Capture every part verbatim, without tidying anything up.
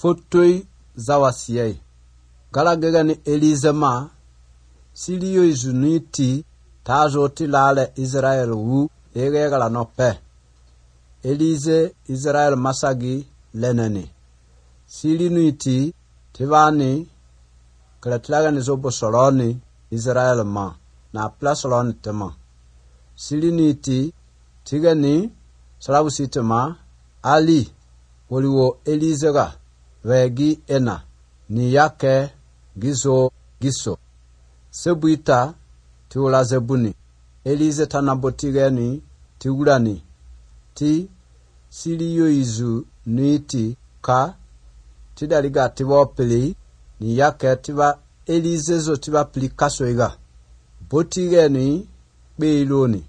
fotoi zawasiyai. Gala gegani Elizama, siliyo izuniti, tajo tilale Israel wu, ege gala no pe. Elize Israel masagi leneni. Silinuiti, tivani, kalatilaga nizobo soloni, Israel ma, na plasoloni tema. Silinuiti, tigani, salabusitema, Ali, woliwo Elizega, vegi ena, ni yake, gizo, giso. Sebuita, tiula zebuni. Elize tanabotigeni, tiulani. Ti, siliyo izu, nuiti, ka, tidaliga tiba pili, ni yake tiba Elize zo tiba pili kasoiga. Botigeni, beiloni.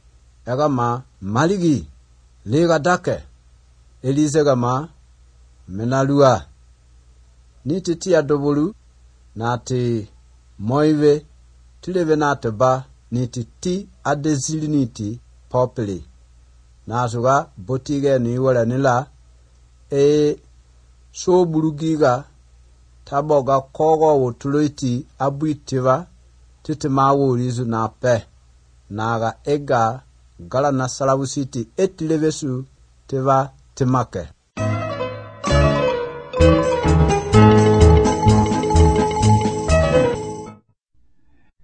Egama, maligi, lega dake. Elize gama, menalua. Niti tia dobolu, nati moive, tileve nateba, niti ti adezili niti popili. Nasuga, botige ni wala nila, e so burugiga, taboga kogo wotuloiti abuitiva, titima wurizu na pe. Naga ega, gala na salawusiti etilevesu, tiva timake.